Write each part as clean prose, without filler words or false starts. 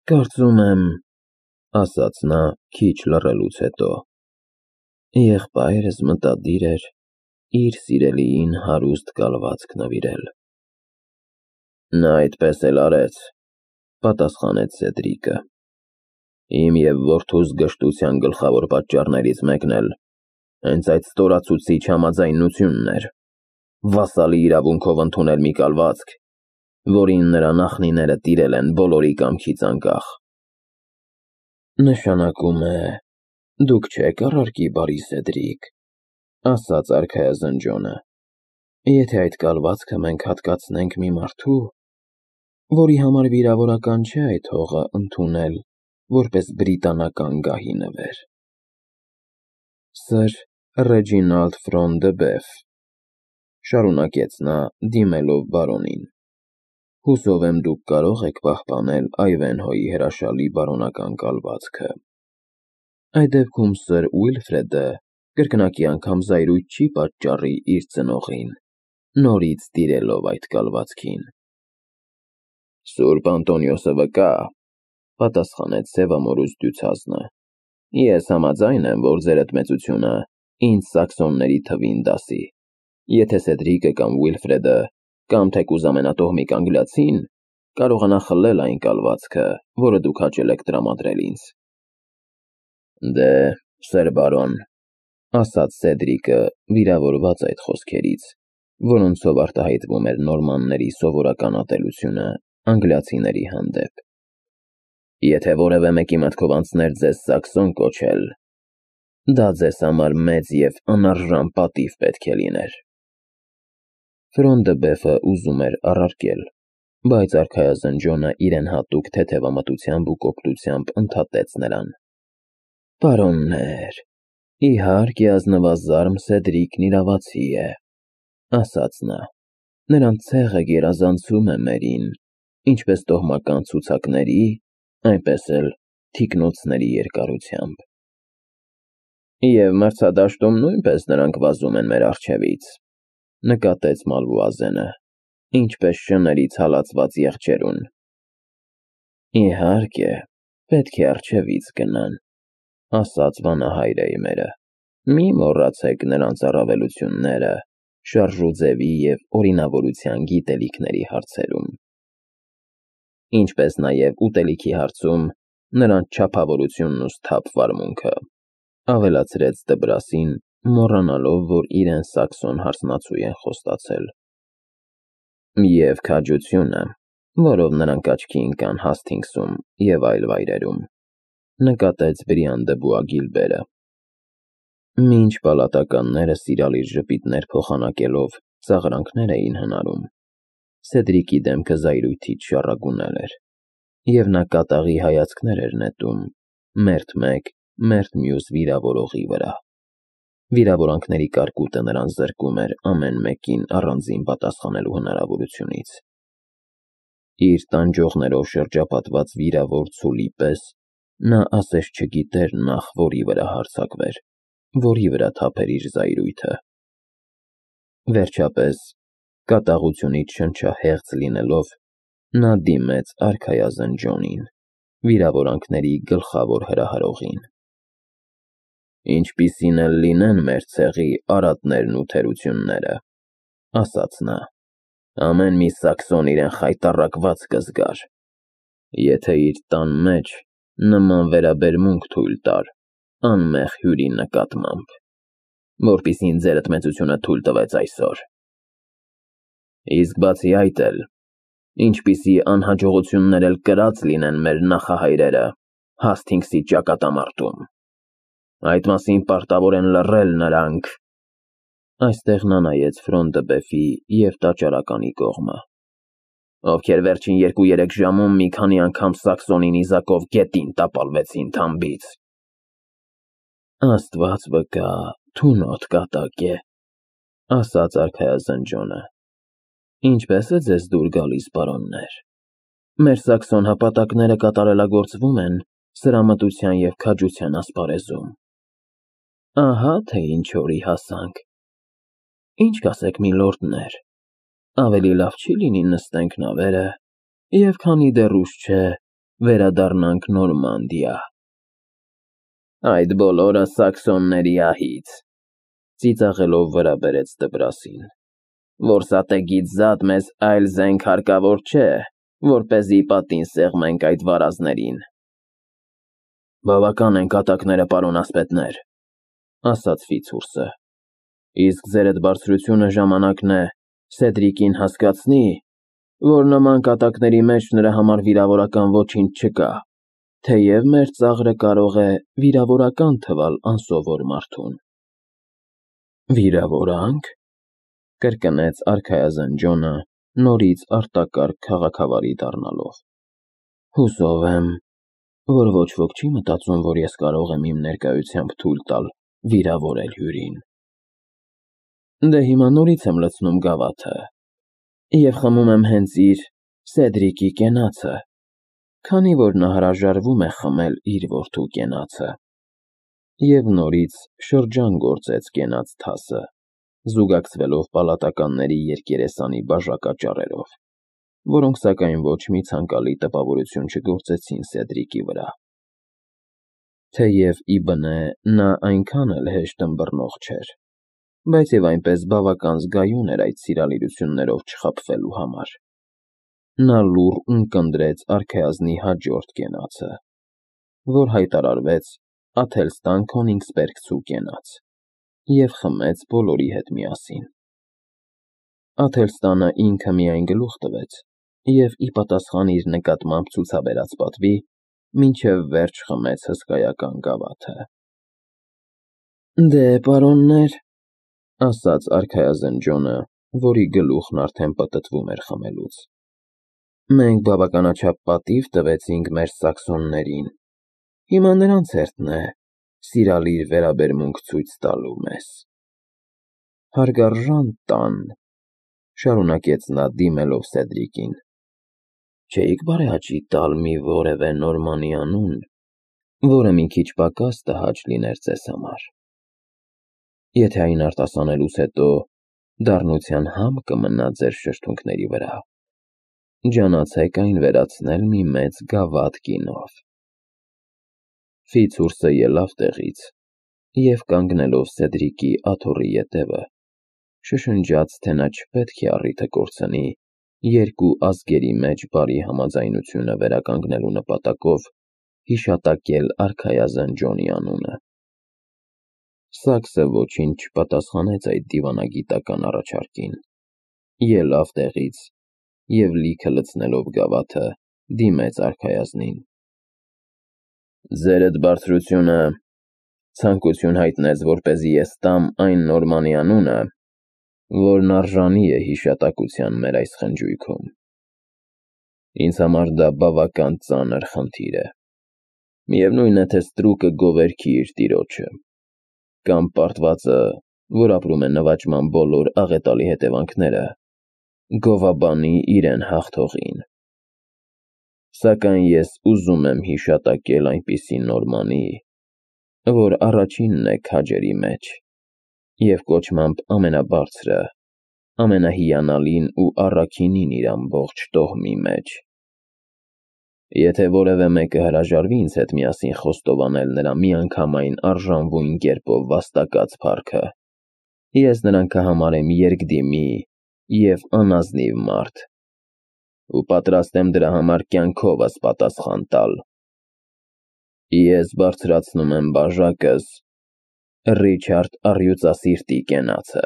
Կարծում եմ, ասաց նա քիչ լռելուց հետո, եղբայրս մտադիր էր իր սիրելիին հարուստ կալվածք նվիրել։ Նա այդպես էլ արեց, պատասխանեց Սեդրիկը։ Իմ և որդուս գժտության գլխավոր պատճառներից մեկն էլ հենց այդ ստորացուցիչ համաձայնությունն էր, վասալի իրավունքով ընդունել մի կալվածք, որին նրա նախնիները տիրել են բոլորի կամքից անկախ։ Նշանակում է, դուք չեք առարկի բարի Սեդրիկ, ասաց արքայազն Ջոնը, եթե այդ կալվածքը մենք հատկացնենք մի մարդու, որի համար վիրավորական չէ այդ հողը ընդունել որպես բրիտանական գահի նվեր։ Սր Ռեջինալդ Ֆրոն դը Բեֆ, շարունակեց նա դիմելով բարոնին, հուսով եմ դուք կարող եք պահպանել Այվենհոյի հրաշալի բարոնական կալվածքը։ Այդ դեպքում Սր Ուիլֆրեդը կրկնակի անգամ զայրույթ չի պատճառի իր ծնողին, նորից տիրելով այդ կալվածքին։ Սուրբ Անտոնիոսը վկա, պատասխանեց սևամորուս դյուցազնը, ես համաձայն եմ, որ ձեր էդմեցությունը ինձ սաքսոնների թվին դասի, եթե Սեդրիկը կամ Ուիլֆրեդը կամ թեկուզ ամենատոհմիկ անգլիացին կարողանա խլել այն կալվածքը, որը դուք հաճել եք տրամադրել ինձ։ Դե, սեր բարոն, ասաց Սեդրիկը, վիրավորված այդ խոսքերից, որոնցով արտահայտվում էր նորմանների սովորական ատելությունը անգլիացիների հանդեպ։ Եթե որևէ մեկի մտքով անցներ ձեզ սաքսոն կոչել, դա ձեզ համար մեծ և անարժան պատիվ պետք է լիներ։ Ֆրոն դը Բեֆը ուզում էր առարկել, բայց արքայազն Ջոնը իրեն հատուկ թեթևամտությամբ ու կոպտությամբ ընդհատեց նրան։ Պարոններ, իհարկե ազնվազարմ Սեդրիկն իրավացի է, ասաց նա, նրան ցեղը գերազանցում է մերին, ինչպես տոհմական ցուցակների, այնպես էլ թիկնոցների երկարությամբ։ Եվ մրցադաշտում նույնպես նրանք վազում են մեր առջևից, նկատեց Մալվուազենը, ինչպես շներից հալածված եղջերուն։ Իհարկե, պետք է առջևից գնան, ասաց վանահայրեյմերը, մի մոռացեք նրանց առավելությունները շարժուձևի և օրինավորության գիտելիքների հարցերում։ Ինչպես նաև ուտելիքի հարցում նրանց չափավորությունն ու սթափ վարմունքը, ավելացրեց Դբրասին, մոռանալով, որ իրեն սաքսոն հարսնացու են խոստացել։ Եվ քաջությունը, որով նրանք աչքի ընկան Հասթինգսում և այլ վայրերում, նկատեց Բրիան դը Բուագիլբերը։ Մինչ պալատականները սիրալիր ժպիտներ փոխանակելով ծաղրանքներ էին հնարում, Սեդրիկի դեմքը զայրույթից շառագունել էր, և նա կատաղի հայացքներ էր նետում մերթ մեկ, մերթ մյուս վիրավորողի վրա։ Վիրավորանքների կարկուտը նրան զրկում էր ամեն մեկին առանձին պատասխանելու հնարավորությունից։ Իր տանջողներով շրջապատված վիրավոր ցուլի պես նա ասես չգիտեր նախ որի վրա հարձակվեր, որի վրա թափեր իր զայրույթը։ Վերջապես, կատաղությունից շնչահեղձ լինելով, նա դիմեց արքայազն Ջոնին, վիրավորանքների գլխավոր հրահրողին։ Ինչպիսին էլ լինեն մեր ցեղի արատներն ու թերությունները, ասաց նա, ամեն մի սաքսոն իրեն խայտառակված կզգար, եթե իր տան մեջ նման վերաբերմունք թույլ տար անմեղ հյուրի նկատմամբ, որպիսին ձեր էդմեցությունը թույլ տվեց այսօր։ Իսկ բացի այդ էլ, ինչպիսի անհաջողություններ էլ կրած լինեն մեր նախահայրերը Հասթինգսի ճակատամարտում, այդ մասին պարտավոր են լռել նրանք։ Այստեղ նա նայեց Ֆրոն դը Բեֆի և տաճարականի կողմը, ովքեր վերջին 2-3 ժամում մի քանի անգամ սաքսոնի նիզակով գետին տապալվեցին թամբից։ Աստված վկա, թունոտ կատակ է, ասաց արքայազն Ջոնը։ Ինչպես է ձեզ դուր գալիս, պարոններ։ Մեր սաքսոն հապատակները կատարելագործվում են սրամտության և քաջության ասպարեզում։ Ահա թե ինչ օրի հասանք։ Ինչ կասեք, միլորդներ, ավելի լավ չի լինի նստենք նավերը, և քանի դեռ ուշ չէ, վերադառնանք Նորմանդիա։ Այդ բոլորը սաքսոնների ահից, ծիծաղելով վրա բերեց դպրասին, որսատեգից զատ մեզ այլ զենք հարկավոր չէ, որպեսզի պատին սեղմենք այդ վարազներին։ Բավական են կատակները, պարոն ասպետներ, ասաց Ֆիցուրսը, իսկ ձեր այդ բարձրությունը ժամանակն է Սեդրիկին հասկացնի, որ նման կատակների մեջ նրա համար վիրավորական ոչինչ չկա, թեև մեր ծաղրը կարող է վիրավորական թվալ անսովոր մարդուն։ Վիրավորանք, կրկնեց արքայազն Ջոնը, նորից արտակարգ քաղաքավարի դառնալով։ Հուսով եմ, որ ոչ ոք չի մտածում, որ ես կարող եմ իմ ներկայությամբ թույլ տալ վիրավորել հյուրին։ Դե հիմա նորից եմ լցնում գավաթը և խմում եմ հենց իր Սեդրիկի կենացը, քանի որ նա հրաժարվում է խմել իր որդու կենացը։ Եվ նորից շրջան գործեց կենաց թասը, զուգակցվելով պալատականների երկերեսանի բաժակաճառերով, որոնք սակայն ոչ մի ցանկալի տպավորություն չգործեցին Սեդրիկի վրա։ Թեև ի բնե նա այնքան էլ հեշտ ըմբռնող չէր, բայց և այնպես բավական զգայուն էր այդ սիրալիրություններով չխաբվելու համար։ Նա լուռ ունկնդրեց արքայազնի հաջորդ կենացը, որ հայտարարվեց Աթելստան Քոնիգսբերգցու կենաց, և խմեց բոլորի հետ միասին։ Աթելստանը ինքը միայն գլուխ տվեց և ի պատասխան իր նկատմամբ ցուցաբերած պատվի, մինչև վերջ խմեց հսկայական գավաթը։ Դե, պարոններ, ասաց արքայազն Ջոնը, որի գլուխն արդեն պտտվում էր խմելուց, մենք բավականաչափ պատիվ տվեցինք մեր սաքսոններին, հիմա նրանց հերթն է սիրալիր վերաբերմունք ցույց տալու մեզ։ Հարգարժան տան, շարունակեց նա դիմելով Սեդրիկին, չէիք բարեհաճի տալ մի որևէ Նորմանի անուն, որը մի քիչ պակաս տհաճ լիներ ձեզ համար։ Եթե այն արտասանելուց հետո դառնության համ կմնա ձեր շրթունքների վրա, ջանացեք այն վերացնել մի մեծ գավաթ գինով։ Ֆիցուրսը ելավ տեղից և կանգնելով Սեդրիկի աթոռի ետևը, շշնջաց, թե նա չպետք է առիթը կորցնի երկու ազգերի մեջ բարի համաձայնությունը վերականգնելու նպատակով հիշատակել արքայազն Ջոնի անունը։ Սաքսը ոչինչ չպատասխանեց այդ դիվանագիտական առաջարկին, ելավ տեղից և լիքը լցնելով գավաթը, դիմեց արքայազնին։ Ձեր այդ բարձրությունը ցանկություն հայտնեց, որպեսզի ես տամ այն Նորմանի անունը, որն արժանի է հիշատակության մեր այս խնջույքում։ Ինձ համար դա բավական ծանր խնդիր է։ Միևնույն է, թե ստրուկը գովերքի իր տիրոջը, կամ պարտվածը, որ ապրում է նվաճման բոլոր աղետալի հետևանքները, գովաբանի իրեն հաղթողին։ Սակայն ես ուզում եմ հիշատակել այնպիսի Նորմանի, որ առաջինն է քաջերի մեջ և կոչմամբ ամենաբարձրը, ամենահիանալին ու առաքինին իր ամբողջ տոհմի մեջ։ Եթե որևէ մեկը հրաժարվի ինձ հետ միասին խոստովանել նրա միանգամայն արժանվույն կերպով վաստակած փառքը, ես նրան կհամարեմ երկդիմի և անազնիվ մարդ, ու պատրաստ եմ դրա համար կյանքովս պատասխան տալ։ Ես բարձրացնում եմ բաժակս Ռիչարդ առյուծասիրտի կենացը։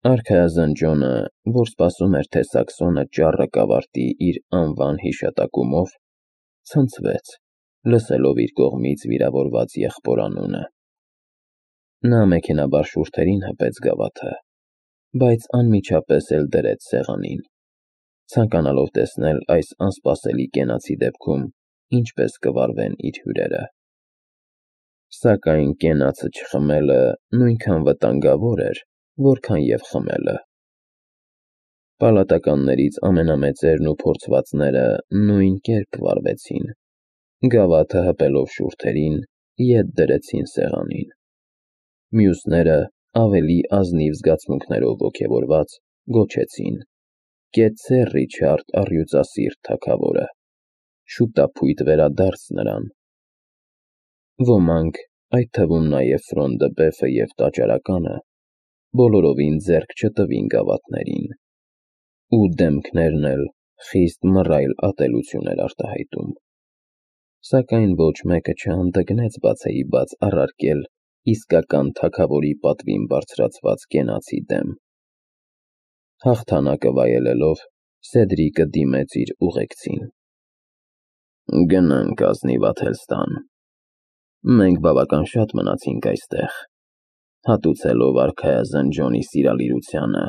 Արքայազն Ջոնը, որ սպասում էր, թե սաքսոնը ճառը կավարտի իր անվան հիշատակումով, ցնցվեց, լսելով իր կողմից վիրավորված եղբոր անունը։ Նա մեքենայաբար շուրթերին հպեց գավաթը, բայց անմիջապես էլ դրեց սեղանին, ցանկանալով տեսնել այս անսպասելի կենացի դեպքում ինչպես կվարվեն իր հյուրերը։ Սակայն կենացը չխմելը նույնքան վտանգավոր էր, որքան և խմելը։ Պալատականներից ամենամեծերն ու փորձվածները նույն կերպ վարվեցին, գավաթը հպելով շուրթերին, ետ դրեցին սեղանին։ Մյուսները, ավելի ազնիվ զգացմունքներով ոգևորված, գոչեցին. «Կեցցե, Ռիչարդ առյուծասիրտ թագավորը»։ շուտափույթ վերադարձ նրան։ Ոմանք, այդ թվում նաև Ֆրոնդը, Բեֆը և տաճարականը, բոլորովին ձեռք չտվին գավաթներին, ու դեմքներն էլ խիստ մռայլ ատելություն էր արտահայտում, սակայն ոչ մեկը չհանդգնեց բացեի բաց առարկել իսկական թագավորի պատվին բարձրացված կենացի դեմ։ Հաղթանակը վայելելով, Սեդրիկը դիմեց իր ուղեկցին։ «Գնանք ազնիվ Աթելստան։ Մենք բավական շատ մնացինք այստեղ, հատուցելով արքայազն Ջոնի սիրալիրությանը,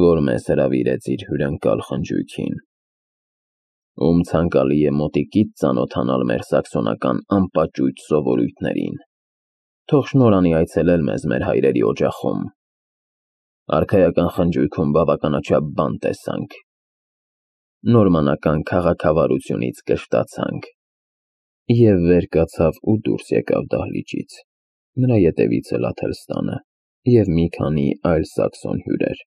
որ մեզ հրավիրեց իր հյուրընկալ խնջույքին, ում ցանկալի է մոտիկից ծանոթանալ մեր սաքսոնական անպաճույճ սովորույթներին, թող շնորհանի այցելել մեզ մեր հայրերի օջախում։ Արքայական խնջույքում բավականաչափ բան տեսանք, նորմանական քաղաքավարությունից կշտացանք, և վեր կացավ ու դուրս եկավ դահլիճից, նրա ետևից էլ Աթելստանը և մի քանի այլ սաքսոն հյուրեր,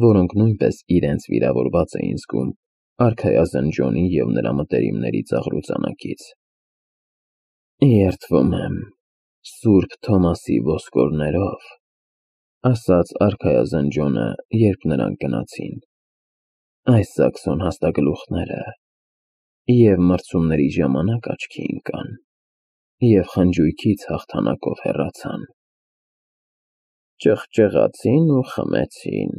որոնք նույնպես իրենց վիրավորված էին զգում արքայազն Ջոնի և նրա մտերիմների ծաղրուծանակից։ «Երդվում եմ Սուրբ Թոմասի ոսկորներով», ասաց արքայազն Ջոնը, երբ նրանք գնացին, «այս սաքսոն հաստագլուխները և մրցումների ժամանակ աչքի ընկան, և խնջույքից հաղթանակով հեռացան»։ «Ճղճղացին ու խմեցին»,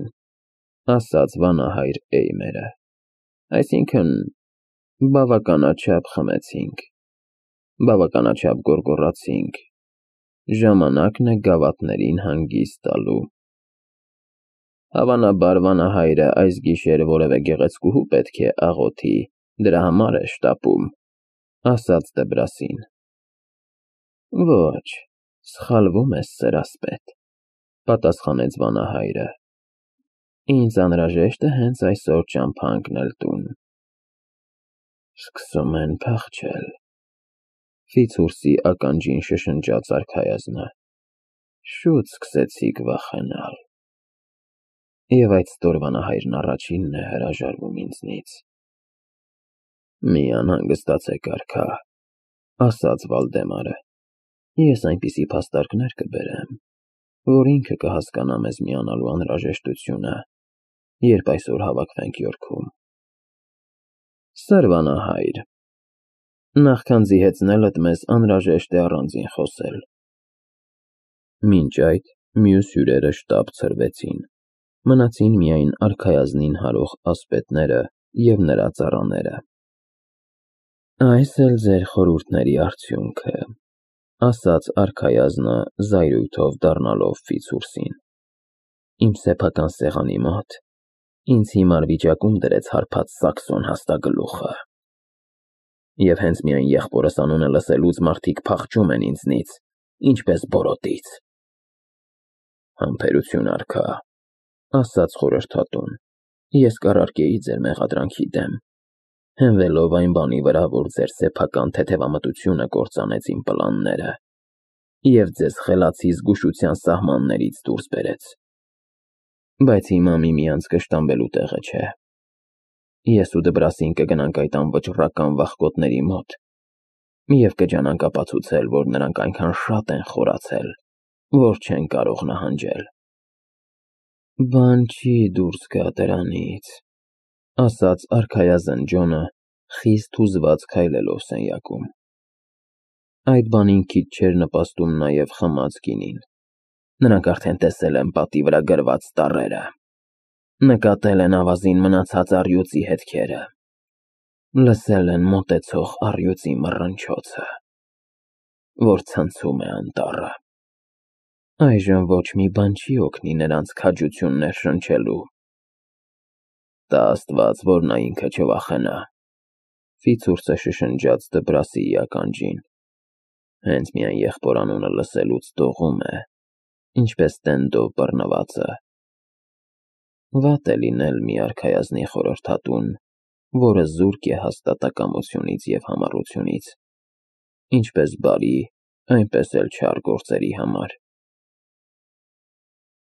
ասաց վանահայր Էյմերը, «այսինքն բավականաչափ խմեցինք, բավականաչափ գոռգոռացինք, ժամանակն է գավաթներին հանգիստ տալու»։ «Հավանաբար վանահայրը այս գիշեր որևէ գեղեցկուհու պետք է աղոթի, դրա համար է շտապում», ասաց Դեբրասին։ «Ոչ, սխալվում ես, սերասպետ», պատասխանեց վանահայրը, «ինձ անհրաժեշտ է հենց այսօր ճամփա ընկնել տուն»։ «Սկսում են փախչել», Ֆիցուրսի ականջին շշնջաց արքայազնը, «շուտ սկսեցիք վախենալ։ Եվ այդ ստոր վանահայրն առաջինն է հրաժարվում ինձնից»։ «Մի անհանգստացեք, արքա», ասաց Վալդեմարը, «ես այնպիսի փաստարկներ կբերեմ, որ ինքը կհասկանա մեզ միանալու անհրաժեշտությունը, երբ այսօր հավաքվենք Յորքում»։ «Սեր վանահայր, նախքան զիհեցնելդ մեզ անհրաժեշտ է առանձին խոսել»։ Մինչ այդ մյուս հյուրերը շտապ ցրվեցին, մնացին միայն արքայազնին հարող ասպետները և նրա ծառաները։ «Այս էլ ձեր խորհուրդների արդյունքը», ասաց արքայազնը զայրույթով դառնալով Ֆիցուրսին, «իմ սեփական սեղանի մոտ ինձ հիմար վիճակում դրեց հարբած սաքսոն հաստագլուխը։ Եվ հենց միայն եղբորս անունը լսելուց մարդիկ փախչում են ինձնից, ինչպես բորոտից»։ «Համբերություն, արքա», ասաց խորհրդատուն, «ես կառարկեի ձեր մեղադրանքի դեմ, հենվելով այն բանի վրա, որ ձեր սեփական թեթևամտությունը կործանեց իմ պլանները և ձեզ խելացի զգուշության սահմաններից դուրս բերեց։ Բայց հիմա միմյանց կշտամբելու տեղը չէ։ Ես ու Դբրասին կգնանք այդ անվճռական վախկոտների մոտ և կջանանք ապացուցել, որ նրանք այնքան շատ են խորացել, որ չեն կարող նահանջել»։ «Բան չի դուրս գա դրանից», ասաց արքայազն Ջոնը, խիստ հուզված քայլելով սենյակում։ Այդ բանին քիչ չէր նպաստում նաև խմած գինին։ «Նրանք արդեն տեսել են պատի վրա գրված տառերը, նկատել են ավազին մնացած առյուծի հետքերը, լսել են մոտեցող առյուծի մռնչոցը, որ ցնցում է անտառը։ Այժմ ոչ մի բան չի օգնի նրանց քաջություն ներշնչելու»։ «Տա Աստված, որ նա ինքը չվախենա», Ֆիցուրսը շշնջաց Դբրասիի ականջին, «հենց միայն եղբոր անունը լսելուց դողում է, ինչպես տենդով բռնվածը»։ Վատ է լինել մի արքայազնի խորհրդատուն, որը զուրկ է հաստատակամությունից և համառությունից, ինչպես բարի, այնպես էլ չար գործերի համար։